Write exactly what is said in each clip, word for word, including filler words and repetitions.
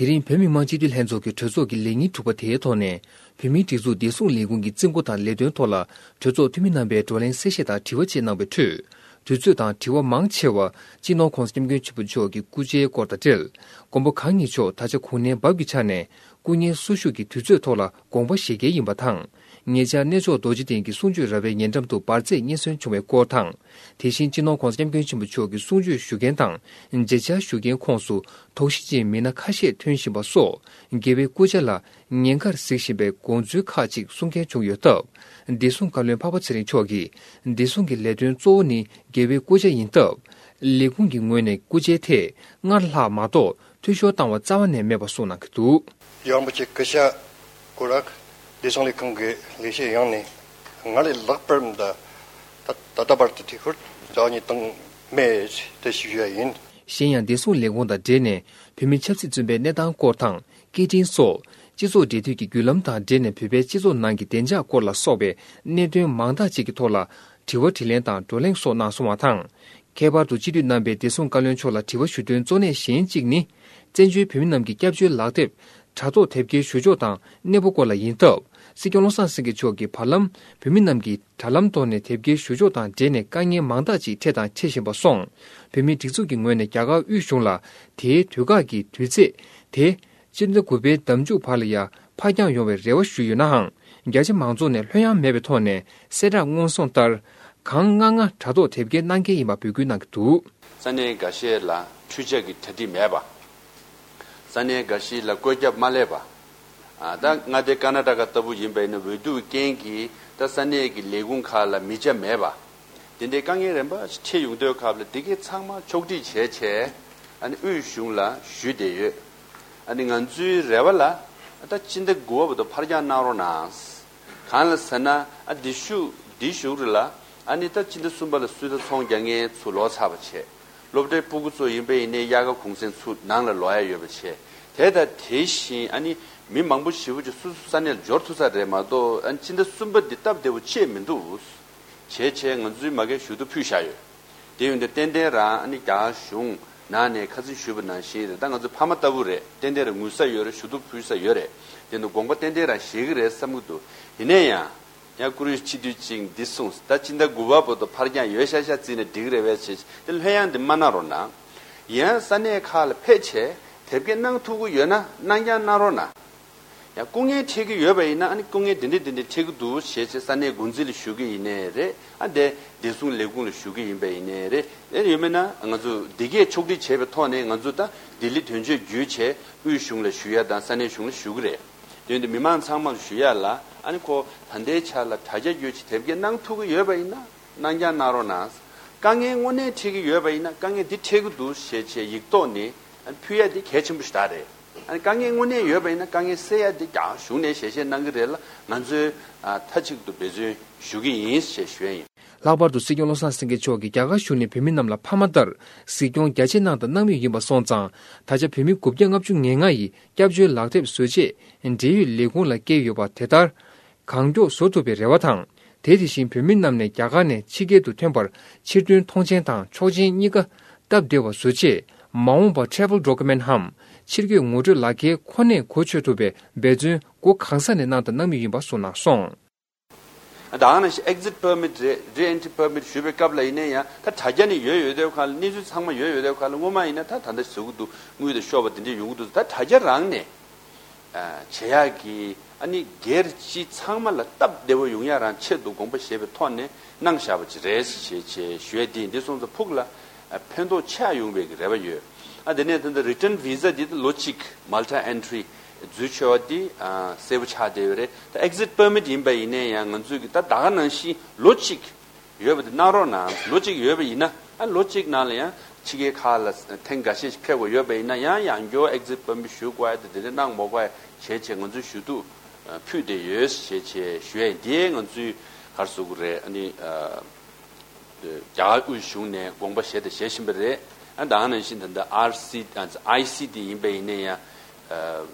དེ་རིང་བོད་མི་མང་སྤྱི་འཐུས་ལྷན་ཚོགས་ཀྱི་གྲོས་ཚོགས་ཀྱི་ལས་ཉིན་དྲུག་པ་དེའི་ཐོག་ནས། བོད་མིའི་སྒྲིག་འཛུགས་བདེ་སྲུང་ལས་ཁུངས་ཀྱི་རྩིས་འགོ་དང་ལས་དོན་ཐོག་ལ་གྲོས་ཚོགས་འཐུས་མི་རྣམ་པས་བགྲོ་གླེང་གསལ་བཤད་དང་དྲི་བ་བཅས་གནང་བའི་ཁྲོད། དུས་ཚོད་དང་དྲི་བ་མང་ཆེ་བ་སྤྱི་ནོར་༸གོང་ས་༸སྐྱབས་མགོན་ཆེན་པོ་མཆོག་གི་སྐུ་ཕྱྭའི་སྐོར་དང་འབྲེལ། མགོན་པོ་གང་ཉིད་མཆོག་ད་ཆ་གུང་ནན་བབས་ཀྱི་ཆ་ནས་སྐུ་ངལ་གསོ་བཞུགས་ཀྱི་དུས་ཚོད་ཐོག་ལ་དགོངས་པ་བཞེས་གལ་ཡིན་པ་དང་། ཉེ་ཆར་གནས་མཆོག་རྡོ་རྗེ་གདན་གྱི་གསུང་ཆོས་ར་བའི་ཉེ་འགྲམ་དུ་འབར་རྫས་རྙེད་སོན་བྱུང་བའི་སྐོར་དང་། དེ་བཞིན་སྤྱི་ནོར་༸གོང་ས་༸སྐྱབས་མགོན་ཆེན་པོ་མཆོག་གི་གསུང་ཆོས་ཞུ་མཁན་དང་མཇལ་བཅར་ཞུ་མཁན་ཁོངས་སུ་དོགས་གཞི་ཅན་མི་སྣ་ཁ་ཤས་ཐོན་བཞིན་པ་སོགས་རྒྱལ་བའི་སྐུ་ཕྱྭ་ལ་ཉེན་ཁར་གཟིགས་བཞིན་པའི་དགོངས་ཚུལ་ཁག་ཅིག་གསུང་མཁན་བྱུང་ཡོད་སྟབས། བདེ་སྲུང་བཀའ་བློན་འཕགས་པ་ཚེ་རིང་མཆོག་གིས་བདེ་སྲུང་གི་ལས་དོན་གཙོ་བོ་ནི་རྒྱལ་བའི་སྐུ་ཕྱྭ་ཡིན་སྟབས། ལས་ཁུངས་ཀྱི་ངོས་ནས་སྐུ་ཕྱྭའི་ཐད་སྔར་ལྷག་མ་གཏོགས་འཐུས་ཤོར་བཏང་བ་རྩ་བ་ནས་མེད་པ་གསུངས་གནང་གི་འདུག། རྒྱལ་བ་རིན་པོ་ཆེ་སྐུ་ཕྱྭ་སྐོར་ར་བདེ་སྲུང་ལས་ཁུངས་ཀྱི་ལས་བྱེད་ཡོངས་ནས་སྔར་ལས་ལྷག་པར་ད་ད་ལྟ་བར་དུ་དེ་ཁུར་རྩ་བ་ཉིད་བཏང་མེད་དེ་ཞུ་ཡ་ཡིན། གཞན་ཡང་བདེ་སྲུང་ལས་ཁུངས་དང་འབྲེལ་ནས་བོད་མི་ཆབ་སྲིད་བཙོན་པའི་གནས་སྟངས་སྐོར་དང་སྐད་འཕྲིན་སོགས་སྤྱི་ཚོགས་འབྲེལ་མཐུད་ཀྱི་བརྒྱུད་ལམ་དང་འབྲེལ་ནས་བོད་པའི་སྤྱི་ཚོགས་ནང་གི་བདེ་འཇགས་སྐོར་ལ་སོགས་པའི་གནད་དོན་མང་དག་ཅིག་གི་ཐོག་ལ་དྲི་བ་དྲིས་ལན་དང་བགྲོ་གླེང་སོགས་གནང་སོང་བ་དང་། ཁྱད་པར་དུ་སྤྱི་འཐུས་རྣམ་པས་བདེ་སྲུང་བཀའ་བློན་མཆོག་ལ་དྲི་བ་ཞུ་དོན་གཙོ་གནད་གཞན་གཅིག་ནི། བཙན་བྱོལ་བོད་མི་རྣམས་ཀྱི་སྐྱབས་བཅོལ་ལག་དེབ་དྲ་ཐོག་དེབ་སྐྱེལ་ཞུ་ཕྱོགས་དང་གནས་བབ་སྐོར་ལ་ཡིན་སྟབས། སྲིད་སྐྱོང་བློ་བཟང་སེང་གེ་མཆོག་གིས་བར་ལམ་བོད་མི་རྣམས་ཀྱིས་དྲ་ལམ་ཐོག་ནས་དེབ་སྐྱེལ་ཞུ་ཕྱོགས་དང་འབྲེལ་ནས་དཀའ་ངལ་མང་དག་ཅིག་འཕྲད་དང་འཕྲད་བཞིན་པ་སོང་། བོད་མིའི་སྒྲིག་འཛུགས་ཀྱི་ངོས་ནས་རྒྱ་གར་དབུས་གཞུང་ལ་དེའི་དུས་བཀག་གི་དུས་ཚེས་དེ། སྤྱི་ཟླ་དགུ་པའི་ཟླ་མཇུག་བར་ལ་ཡང་ཕར་འགྱངས་ཡོང་བའི་རེ་བ་ཞུས་ཡོད་ནའང་། རྒྱ་ཆེ་མང་ཚོགས་ནས་ལྷོད་ཡངས་མེད་པའི་ཐོག་ནས་གསལ་བསྒྲགས་སྔོན་སོང་ལྟར། གང་ལྔ་ལྔ་དྲ་ཐོག་དེབ་སྐྱེལ་གནང་གལ་ཡིན་པ་འབོད་སྐུལ་གནང་གི་འདུག། ས་གནས་འགའ་ཤས་ལ་འཕྲུལ་ཆས་ཀྱི་གྲ་སྒྲིག་མེད་པ། ས་གནས་འགའ་ཤས་ལ་བཀོད་ཁྱབ་མ་སླེབས་པ། ཨ། ད་མངའ་སྡེ་ཀར་ན་ཊ་ཀ་ལྟ་བུ་ཡིན་པ་ཡིན་ན་འོས་བསྡུ་རྐྱེན་གྱིས་ད་ས་གནས་ཀྱི་ལས་ཁུངས་ཁག་ལ་མི་ཆ་མེད་པ། དེ་འདྲའི་དཀའ་ངལ་རིམ་པ་ཞིག་འཕྲད་ཡོང་དུས་སྐབས་ལ་དེ་གའི་ཚང་མ་ཕྱོགས་སྒྲིག་བྱས་བྱས། ཨ་ནི་དབུས་གཞུང་ལ་ཞུས་བསྡད་ཡོད། ཨ་ནི་ང་ཚོའི་རེ་བ་ལ་ད་སྤྱི་ཟླ་དགུ་པ་བར་དུ་ཕར་འགྱངས་གནང་རོགས་གནང་། གང་ལ་ཟེར་ན། ཨ། འདི་ཤུ་འདི་གཞུག་རེ་ལ། ཨ་ནི་ད་སྤྱི་ཟླ་གསུམ་པ་ལ་སུད་ད་ཚོང་རྒྱག་མཁན་ཚུར་ལོག་ཚར་བ་བྱས། སློབ་གྲྭའི་སྤུ་གུ་ཚོ་ཡིན་པ་ཡིན་ནའི་དབྱར་ཁ་གུང་སེང་ཚུར་ནང་ལ་ལོག་ཡ་ཡོད་པ་བྱས། དེ་དང་དེ་བཞིན་ཨ་ནི་མི་མང་པོ་ཞེ་པོ་ཅིག་སོ་སོ་ས་གནས་ལ་འབྱོར་ཐུབ་ས་རེད་མ་གཏོགས། ཨ་ནི་སྤྱི་ཟླ་གསུམ་པ་འདི་སྟབས་བདེ་པོ་ཆད་མི་འདུག། བྱས་བྱས་ང་ཚོའི་མ་གིར་ཞུ་གཏུག་ཕུལ་བཞག་ཡོད། དེ་ཡོད་དུས་ཏན་ཏན་རང་ཨ་ནི་རྒྱ་གར་གཞུང་ནང་ནས་ཁ་སང་ཞུས་པ་ནང་བཞིན་རེད། ད་ང་ཚོ་ཕ་མ་ལྟ་བུ་རེད། ཏན་ཏན་རང་ངུ་ས་ཡོད་རེད། ཞུ་གཏུག་ཕུལ་ས་ཡོད་རེད། དེ་ནི་དགོངས་པ་ཏན་ཏན་རང་བཞེས་ཀྱི་རེད་བསམ་གྱི་འདུག། ཡིན་ན་ཡང་། ཡང་བཀུར་འོས་སྤྱི་འཐུས་གཅིག་འདི་གསུངས། ད་སྤྱི་ཟླ་དགུ་པ་བར་དུ་ཕར་འགྱངས་ཡོད་ཤག་ཤག་བརྩིས་ནས་འགྲིག་གི་རེད་པས་བྱས། དེ་ལྷོད་ཡངས་འདི་མ་གནང་རོགས་གནང་། ཡང་ས་གནས་ཁག་ལ་ཕེབས་བྱས་དེབ་སྐྱེལ་གནང་ཐུབ་ཀྱི་ཡོད་ན་གནང་རྐྱང་གནང་རོགས་གནང་། ཡང་སྐུ་ངལ་འཕྲད་ཀྱི་ཡོད་པ་ཡིན་ན། ཨ་ནི་སྐུ་ངལ་འདི་འདྲ་འདི་འདྲ་འཕྲད་ཀྱི་འདུག་ཞེས་བྱས་ས་གནས་འགོ་འཛིན་ལ་ཞུ་གི་ཡིན་ནའི་རེད། ཨ། དེ་བདེ་སྲུང་ལས་ཁུངས་ལ་ཞུ་གི་ཡིན་པ་ཡིན་ནའི་རེད། ཨེ། ཡོད་མེད་ན་ང་ཚོ་འདི་གས་ཕྱོགས་སྒྲིག་བྱས་པའི་ཐོག་ནས་ང་ཚོ་ད་ལྡི་ལི་དོན་གཅོད་བརྒྱུད་བྱས་དབུས་གཞུང་ལ་ཞུ་ཡ་དང་ས་གནས་གཞུང་ལ་ཞུ་གི་རེད། དེ་ཡིན་དུས་མི་མང་ཚང་མར་ཞུ་ཡ་ལ། ཨ་ནི་ཁོ་ད་ལྟའི་ཆ་ལ་དྲ་རྒྱ་བརྒྱུད་བྱས་དེབ་སྐྱེལ་གནང་ཐུབ་ཀྱི་ཡོད་པ་ཡིན་ན་གནང་རྐྱང་གནང་རོགས་གནང་། དཀའ་ངལ་དངོས་གནས་འཕྲད་ཀྱི་ཡོད་པ་ཡིན་ན། དཀའ་ངལ་འདི་འཕྲད་ཀྱི་འདུག་ཞེས་བྱས་ཡིག་ཐོག་ནས་ཕུལ་ཡ་འདི་གལ་ཆེན་པོ་ཞིག་ད་རེད། ཨ་ནི་དཀའ་ངལ་དངོས་གནས་ཡོད་པ་ཡིན་ན་དཀའ་ངལ་སེལ་ཡ་འདི་རྒྱ་གཞུང་ནས་ཞལ་བཞེས་གནང་གི་རེད་ལ། ང་ཚོས་ཨ་མཐའ་གཅིག་ཏུ་འབད་བརྩོན་ཞུ་གི་ཡིན་ཞེས་ཞུ་ཡ་ཡིན། ལྷག་པར་དུ་སྲིད་སྐྱོང་བློ་བཟང་སེང་གེ་མཆོག་གིས་རྒྱ་གར་གཞུང་ནས་བོད་མི་རྣམས་ལ་ཕ་མ་ལྟར་གཟིགས་སྐྱོང་རྒྱ་ཆེ་གནང་དང་གནང་མུས་ཡིན་པ་སོང་ཙང་། ད་ཆ་བོད་མི་དགུ་བརྒྱ་ལྔ་བཅུ་ང་ལྔ་ཡིས་སྐྱབས་བཅོལ་ལག་དེབ་བཟོ་ཆེད་འབྲེལ་ཡོད་ལས་ཁུངས་ལ་བསྐྱལ་ཡོད་པ་དེ་ལྟར་གང་མགྱོགས་བཟོ་ཐུབ་པའི་རེ་བ་དང་། དེ་དེ་བཞིན་བོད་མི་རྣམས་ནས་རྒྱ་གར་ནས་ཕྱི་རྒྱལ་དུ་ཐོན་པར་ཕྱིར་ཐོན་མཐོང་མཆན་དང་ཆོག་མཆན་གཉིས་ཀ་སྟབས་བདེ་བ་བཟོ་ཆེད། མ་འོངས་པར་Travel Document འམ་ཕྱིར་སྐྱོད་ངོ་སྤྲོད་ལག་ཁྱེར་ཁོ་ནས་གོ་ཆོད་ཐུབ་པའི་འབད་བརྩོན་སྒོ་གང་ས་ནས་གནང་དང་གནང་མུས་ཡིན་པ་གསུངས་གནང་སོང་། ད་ག་ནང་བཞིན་Exit Permit རེད། Re-entry Permit ཞུ་བའི་སྐབས་ལ་ཡིན་ན་ཡང་ད་དྲ་རྒྱ་ནས་ཡོད་ཡོད་དེ་ག་ལ། གནས་ཚུལ་ཚང་མ་ཡོད་ཡོད་དེ་ག་ལ། སྔོན་མ་ཡིན་ན་ད་ད་ལྟ་བཟོ་གི་འདུག། དངུལ་དང་ཤོག་པ་དེ་འདྲས་ཡོང་གི་འདུག། ད་དྲ་རྒྱ་རང་ནས་ཨ་བྱེད་ཡག་གི་ཨ་ནི་སྒེར་སྤྱི་ཚང་མ་ལ་སྟབས་བདེ་བོ་ཡོང་ཡག་རང་ཆེད་དུ་དགོངས་པ་བཞེས་པའི་ཐོག་ནས་གནང་བཞག་པ་ཅིག་རེད་ཞེས་བྱས་ཞུ་ཡ་འདི་ཡིན། འདི་སོང་ཙང་ཕུགས་ལ་ཨ་ཕན་ཐོགས་ཆེ་ཡོང་བའི་གི་རེ་བ་ཡོད། ཨ་དེ་ནས་ད་ལྟ་Return Visa འདི་ལོ་གཅིག། Multi Entry འཛུལ་ཆོག་པ་འདི་ཨ་གསལ་པོ་ཆགས་བསྡད་ཡོད་རེད། ད་Exit Permit ཡིན་པ་ཡིན་ན་ཡང་ང་ཚོས་གི་ད་ད་ག་ནང་བཞིན་ལོ་གཅིག་ཡོད་པ་དེ་གནང་རོགས་གནང་། ལོ་གཅིག་ཡོད་པ་ཡིན་ན། ཨ་ལོ་གཅིག་ནང་ལ་ཡང་ཕྱི་རྒྱལ་ཁག་ལ་ཐེངས་འགའ་ཤས་ཤིག་ཕེབས་དགོས་ཡོད་པ་ཡིན་ན་ཡང་ཡང་བསྐྱར་Exit Permit ཞུ་དགོས་ཡ་དེ་དེ་འདྲ་གནང་མ་དགོས་ཡ་བྱས་བྱས་ང་ཚོས་ཞུ་གཏུག་ཨ་ཕུལ་བསྡད་ཡོད་ཞེས་བྱས་ཞུ་ཡ་ཡིན། དེ་ང་ཚོས་ག་རེ་ཟེར་དགོས་རེད། ཨ་ནི་ཨ་རྒྱ་གར་དབུས་གཞུང་ནས་དགོངས་པ་བཞེས་དང་བཞེས་བཞིན་པ་རེད། ཨ་ད་ག་ནང་བཞིན་ད་ལྟ་ཨར་སི་ཨ་ཨའི་སི་དེ་ཡིན་པ་ཡིན་ན་ཡང་ཨ་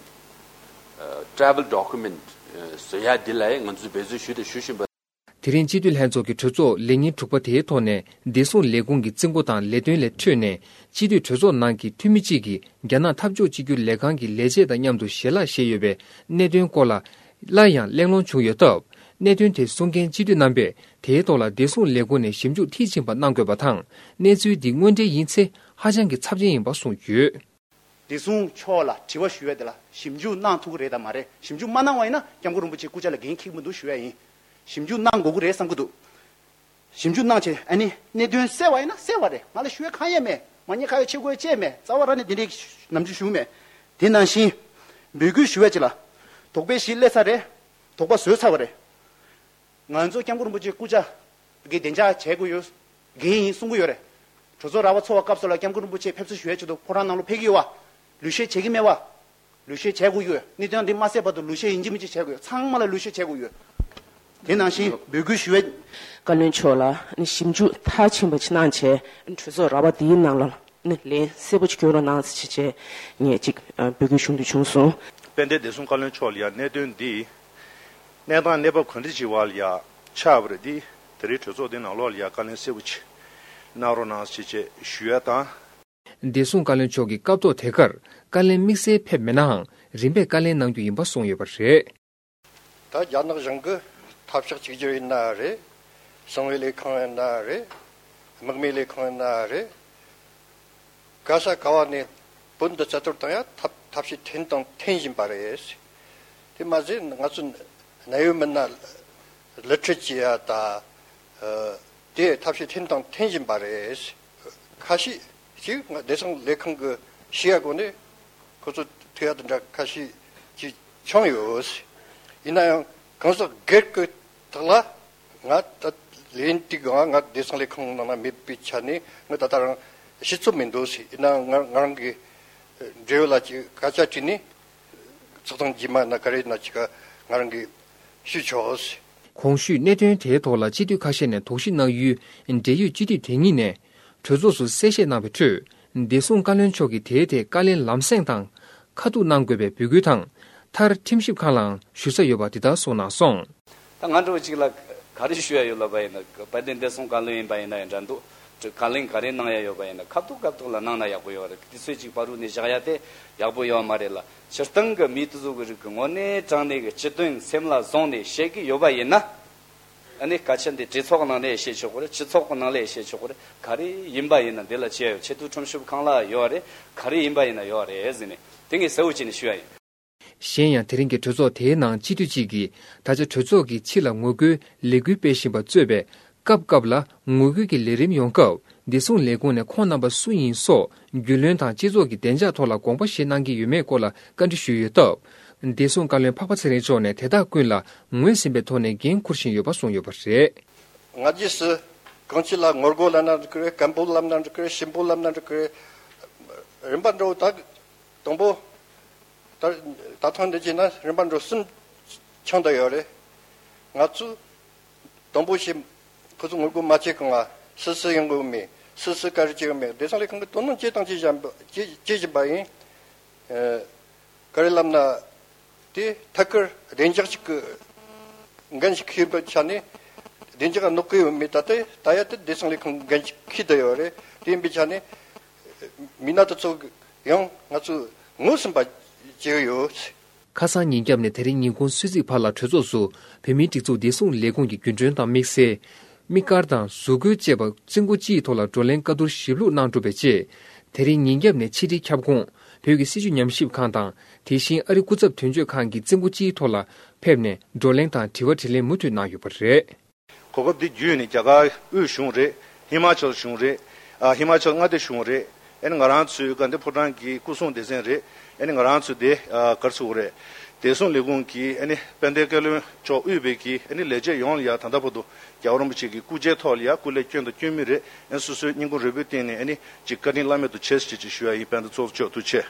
ཨ་Travel Document ཨ་བཟོ་ཡ་འདི་ལ་ང་ཚོས་འབད་བརྩོན་ཞུས་དང་ཞུ་བཞིན་པ། དེ་རིང་སྤྱི་འཐུས་ལྷན་ཚོགས་ཀྱི་གྲོས་ཚོགས་ལས་ཉིན་དྲུག་པ་དེའི་ཐོག་ནས་བདེ་སྲུང་ལས་ཁུངས་ཀྱི་རྩིས་འགོ་དང་ལས་དོན་ལས་འཕྲོས་ནས་སྤྱི་འཐུས་གྲོས་ཚོགས་ནང་གི་འཐུས་མི་གཅིག་གིས་རྒྱ་ནག་འཐབ་ཕྱོགས་གཅིག་གྱུར་ལས་ཁང་གི་ལས་བྱེད་དང་མཉམ་དུ་ཞལ་ལག་བཞེས་ཡོད་པའི་གནད་དོན་སྐོར་ལ་སླར་ཡང་གླེང་སློང་བྱུང་ཡོད་སྟབས། གནད་དོན་དེ་གསུང་མཁན་སྤྱི་འཐུས་རྣམ་པས་དེའི་ཐོག་ལ་བདེ་སྲུང་ལས་ཁུངས་ནས་ཞིབ་འཇུག་མཐིལ་ཕྱིན་པ་གནང་དགོས་པ་དང་། གནས་ཚུལ་འདི་དངོས་འབྲེལ་ཡིན་ཚེ་ཧ་ཅང་གི་ཚབས་ཆེན་ཡིན་པ་གསུངས་ཡོད། བདེ་སྲུང་མཆོག་ལ་དྲི་བ་ཞུ་ཡ་དེ་ལ་ཞིབ་འཇུག་གནང་ཐུབ་ཀྱི་རེད་དམ་མ་རེད། ཞིབ་འཇུག་མ་གནང་བ་ཡིན་ན་སྐྱབས་མགོན་རིན་པོ་ཆེ་སྐུ་ཕྱྭ་ལ་འགན་འཁྱེར་གྱི་མི་འདུག་ཞུ་ཡ་ཡིན། ཞིབ་འཇུག་གནང་དགོས་ཀྱི་རེད་བསམ་གྱི་འདུག་ཞིབ་འཇུག་གནང་བྱས་ཨ་ནི་གནད་དོན་གསལ་བ་ཡིན་ན་གསལ་བ་རེད། ང་ལ་ཞུ་ཡ་གང་ཡང་མེད། མ་ཉེས་ཁ་ཡོག་ཆེ་དགོས་ཡ་ཅི་ཡང་མེད། རྩ་བ་རང་ནས་འདི་འདྲའི་ནམ་རྒྱུན་ཞུ་མེད། དེ་ནང་བཞིན་འབོད་སྐུལ་ཞུ་ཡ་ཅིག་ལ། དོགས་པའི་གཞི་སླེབས་ཚར་རེད། དོགས་པ་བཟོས་ཚར་བ་རེད། ང་ཚོ་སྐྱབས་མགོན་རིན་པོ་ཆེ་སྐུ་ཕྱྭ་གི་བདེ་འཇགས་བྱེད་དགོས་ཡོད། འགན་ཡིན་གསུང་གི་ཡོད་རེད། གྲོས་ཚོགས་ར་བ་ཚོགས་པ་སྐབས་སུ་ལ་སྐྱབས་མགོན་རིན་པོ་ཆེ་ཕེབས་བསུ་ཞུ་ཡས་ཆེད་དུ་ཕོ་བྲང་ནང་ལོགས་ཕེབས་ཀྱི་ཡོད་བ། ལུས་བཤེར་བྱེད་ཀྱི་མེད་བ། ལུས་བཤེར་བྱེད་དགོས་ཡོད། གནས་དོན་འདི་མ་གསལ་བར་དུ་ལུས་བཤེར་ཡིན་གཅིག་མིན་གཅིག་བྱེད་དགོས་ཡོད། ཚང་མ་ལ་ལུས་བཤེར་བྱེད་དགོས་ཡོད། དེ་ནང་བཞིན་འབོད་སྐུལ་ཞུ་བའི། བཀའ་བློན་མཆོག་ལ་ཞིབ་འཇུག་མཐར་ཕྱིན་པ་ཅིག་གནང་བྱས་གྲོས་ཚོགས་ར་བ་འདིའི་ནང་ལ་ལན་གསལ་པོ་ཅིག་སྐྱོན་རོགས་གནང་ཟེར་བྱས་ངས་ཅིག་འབོད་སྐུལ་ཞུ་འདོད་བྱུང་སོང་། དཔལ་ལྡན་བདེ་སྲུང་བཀའ་བློན་མཆོག་ལ་ཡང་གནད་དོན་འདི་གནས་སྟངས་གནས་བབ་ག་འདྲ་ཅིག་བར་ལ་ཡ་ཆགས་པ་རེད། འདི་དེ་རིང་གྲོས་ཚོགས་འདི་ནང་ལོགས་ལ་ཡ་བཀའ་ལན་གསལ་པོ་ཅིག་གནང་རོགས་གནང་ཞེས་བྱས་ཞུ་ཡ་དང་། བདེ་སྲུང་བཀའ་བློན་མཆོག་གི་སྐབས་ཐོག་དེ་གར་བཀའ་ལན་དམིགས་བསལ་ཕེབས་མེད་ནའང་རིམ་པས་བཀའ་ལན་གནང་རྒྱུ་ཡིན་པ་གསུངས་ཡོད་པ་རེད། ད་རྒྱ་ནག་གཞུང་གི་འཐབ་ཕྱོགས་གཅིག་གྱུར་ཡིན་ན་རེད། གསང་བའི་ལས་ཁང་ཡིན་ན་རེད། དམག་མིའི་ལས་ཁང་ཡིན་ན་རེད། ག་ས་ག་བ་ནས་བོད་འདི་རྩ་གཏོར་བཏང་ཡ་ཐབས་ཐབས་ཤེས་འཐེན་དང་འཐེན་བཞིན་པ་རེད། དེ་མ་ཟད་ང་ཚོ་གནད་ཡོད་མི་སྣ་གླུ་ཁྲིད་བྱེད་ཡ་ད་ཨ་དེ་ཐབས་ཤེས་འཐེན་དང་འཐེན་བཞིན་པ་རེད། ཁ་ཤས་ཤིག་ང་བདེ་སྲུང་ལས་ཁང་གི་ཞུ་ཡ་སྒོ་ནས་ཁོ་ཚོ་ཐུག་ཡ་དེ་འདྲ་ཁ་ཤས་ཅིག་བྱུང་ཡོད། ཡིན་ན་ཡང་གང་ཟག་སྒེར་གྱི་ཐོག་ལ། ང་ད་ལན་ཏིག་ང་ང་བདེ་སྲུང་ལས་ཁང་ནང་ན་མེད་པའི་ཆ་ནས་ང་ད་ལྟ་རང་ཤེས་ཚོད་མི་འདུག་ཟེར། ཡིན་ནའང་ང་ང་རང་གི་འབྲེལ་ཡོད་ལ་ཅིག་སྐད་ཆ་དྲིས་ནས་ཚོགས་ཐེངས་རྗེས་མ་ན་ག་རེ་ན་ཅིག་ང་རང་གིས་ཞུས་ཆོག་ཟེར། གོང་ཞུས་གནད་དོན་དེའི་ཐོག་ལ་སྤྱི་འཐུས་ཁ་ཤས་ནས་དོགས་གཞི་གནང་ཡུལ་འབྲེལ་ཡོད་སྤྱི་འཐུས་དེ་གཉིས་ནས་གྲོས་ཚོགས་སུ་གསལ་བཤད་གནང་བའི་ཁྲོད། བདེ་སྲུང་བཀའ་བློན་མཆོག་གིས་དེའི་ཐད་བཀའ་ལན་ལམ་སེང་དང་། ཁ་ཐུག་གནང་དགོས་པའི་འབོད་སྐུལ་དང་། མཐར་ཁྲིམས་ཞིབ་ཁང་ལའང་ཞུ་ས་ཡོད་པ་འདི་ལྟར་གསུངས་གནང་སོང་། ད་ང་འདྲ་བོ་ཅིག་ལ་ག་རེ་ཞུ་ཡ་ཡོད་ལབ་པ་ཡིན་ན། དཔལ་ལྡན་བདེ་སྲུང་བཀའ་བློན་ཡིན་པ་ཡིན་ན་ཡང་འདྲ་འདུག་བཀའ་ལན་ག་རེ་གནང་ཡ་ཡོད་པ་ཡིན་ན་ཁ་ཐུག་ཁ་ཐུག་ལ་གནང་ན་ཡག་པོ་ཡོད་རེད། དུས་ཚོད་ཅིག་བར་དུ་ནས་བཞག་ཡ་དེ་ཡག་པོ་ཡོད་མ་རེད་ལ། སྤྱིར་བཏང་གི་མི་དེ་ཚོ་གི་རིགས་ཀྱི་དངོས་གནས་དྲང་གནས་ཀྱི་སྤྱི་དོན་སེམས་ལ་བཟུང་ནས་བཤད་ཀྱི་ཡོད་པ་ཡིན་ན། ཨ་ནི་སྐད་ཆ་འདི་གྲོས་ཚོགས་ནང་ལ་བཤད་ཆོག་གི་རེད། སྤྱི་ཚོགས་ཀྱི་ནང་ལ་བཤད་ཆོག་གི་རེད། ག་རེ་ཡིན་པ་ཡིན་ན་འདི་ལ་བྱས་ཡོད། ཆེས་མཐོའི་ཁྲིམས་ཞིབ་ཁང་ལ་ཡོད་རེད། ག་རེ་ཡིན་པ་ཡིན་ན་ཡོད་རེད་ཟེར་ནས་དེ་ངས་གསལ་བོ་བྱས་ནས་ཞུ་ཡ་ཡིན། གཞན་ཡང་དེ་རིང་གི་གྲོས་ཚོགས་དེའི་ནང་སྤྱི་འཐུས་གཅིག་གིས་ད་ཆ་གྲོས་ཚོགས་ཀྱི་ཕྱི་ལ་ངོ་རྒོལ་ལས་འགུལ་སྤེལ་བཞིན་པ་གཙོས་པའི་སྐབས་སྐབས་ལ་ངོ་རྒོལ་གྱི་ལས་རིམ་ཡོང་སྐབས་བདེ་སྲུང་ལས་ཁུངས་ནས་ཁོང་རྣམ་པ་སུ་ཡིན་སོགས་རྒྱུས་ལོན་དང་སྤྱི་ཚོགས་ཀྱི་བདེ་འཇགས་ཐོག་ལ་དགོངས་པ་བཞེས་གནང་གི་ཡོད་མེད་སྐོར་ལ་བཀའ་འདྲི་ཞུས་ཡོད་སྟབས། བདེ་སྲུང་བཀའ་བློན་འཕགས་པ་ཚེ་རིང་མཆོག་ནས་དེ་དག་ཀུན་ལ་ངོས་ཟིན་པའི་ཐོག་ནས་འགན་འཁུར་བཞིན་ཡོད་པ་གསུངས་ཡོད་པ་རེད། སྔ་རྗེས་སུ་གང་ཅི་ལ་ངོ་རྒོལ་ལབ་ན་འགྲིག་གི་རེད། སྐད་འབོད་ལབ་ན་འགྲིག་གི་རེད། ཞུ་འབོད་ལབ་ན་འགྲིག་གི་རེད། རིམ་པ་འགྲོ་ད་དང་པོ། ད་ད་ཐེངས་འདི་བྱས་ན་རིམ་པ་འགྲོ་གསུམ་ཆགས་བསྡད་ཡོད་རེད། ང་ཚོས་དང་པོ་ཞིག་ཁོ་ཚོ་ངོ་རྒོལ་མ་བྱེད་གོང་ང་སུ་སུ་ཡོང་གི་མེད། སུ་སུ་ག་རེ་བྱེད་གི་མེད། བདེ་སྲུང་ལས་ཁང་གིས་དོ་སྣང་བྱེད་དང་བྱེད་བཞིན་པ་བྱེད་བྱེད་བཞིན་པ་ཡིན། ཨ། ག་རེ་ལབ་ན། དེ་ཐད་ཀར་བདེ་འཇགས་ཤིག་གི་འགན་ཞིག་འཁྱེར་བའི་ཆ་ནས་བདེ་འཇགས་གནོད་ཀྱི་ཡོད་མེད་ད་ལྟ་ད་ཡ་དེ་བདེ་སྲུང་ལས་ཁང་གི་འགན་ཞིག་འཁྱེར་བསྡད་ཡོད་རེད། དེ་ཡིན་པའི་ཆ་ནས་མི་སྣ་དེ་ཚོ་ཡང་ང་ཚོས་ངོས་ཟིན་པ་བྱེད་ཀྱི་ཡོད། ཁ་སང་ཉིན་རྒྱབ་ནས་དེ་རིང་ཉིན་གུང་གསོལ་ཚིགས་བར་ལ་གྲོས་ཚོགས་སུ་བོད་མིའི་སྒྲིག་འཛུགས་བདེ་སྲུང་ལས་ཁུངས་ཀྱི་རྒྱུན་གྲོན་དང་དམིགས་བསལ། དམིགས་བཀར་དང་བཟོ་བཀོད་བཅས་པ་རྩིས་འགོ་སྤྱིའི་ཐོག་ལ་བགྲོ་གླེང་བཀའ་བསྡུར་ཞིབ་ལྷུག་གནང་གྲུབ་པའི་རྗེས། དེ་རིང་ཉིན་རྒྱབ་ནས་ཕྱི་དྲིལ་ཁྱབ་ཁོངས་བོད་ཀྱི་སྲིད་བྱུས་ཉམས་ཞིབ་ཁང་དང་དེ་བཞིན་ཨ་རི་སྐུ་ཚབ་དོན་གཅོད་ཁང་གི་རྩིས་འགོ་སྤྱིའི་ཐོག་ལ་ཕེབས་ནས་བགྲོ་གླེང་དང་དྲི་བ་དྲིས་ལན་མུ་མཐུད་གནང་ཡོད་པ་རེད། གོ་སྐབས་འདི་བརྒྱུད་ནས་རྒྱ་གར་དབུས་གཞུང་རེད། ཧི་མ་ཅལ་གཞུང་རེད། ཨ། ཧི་མ་ཅལ་མངའ་སྡེ་གཞུང་རེད། ཨ་ནི་ང་རང་ཚོའི་དགའ་ལྡན་ཕོ་བྲང་གི་སྐུ་སྲུང་སྡེ་ཚན་རེད། ཨ་ནི་ང་རང་ཚོའི་དེ་ཨ་ག་རེ་ཟེར་དགོས་རེད། བདེ་སྲུང་ལས་ཁུངས་ཀྱི་ཨ་ནི་དཔལ་ལྡན་བཀའ་བློན་མཆོག་དབུས་པའི་གི་ཨ་ནི་ལས་བྱེད་ཡོངས་ལ་ཡ་ད་ལྟ་བར་དུ་རྒྱལ་བ་རིན་པོ་ཆེ་གི་སྐུ་ཕྱྭའི་ཐོག་ལ་ཡ་སྐུ་ལས་བསྐྱོན་དང་བསྐྱོན་མུས་རེད། ཨ་ནི་སོ་སོའི་སྙིང་ཁུང་རུས་པའི་གཏིང་ནས་ཨ་ནི་ཅིག་བཀའ་དྲིན་བླ་མེད་དུ་ཆེ་ཟེར་ཅིག་ཞུ་ཡ་ཡིན། དཔལ་ལྡན་ཚོགས་གཙོ་མཆོག་ཐུགས་རྗེ་ཆེ།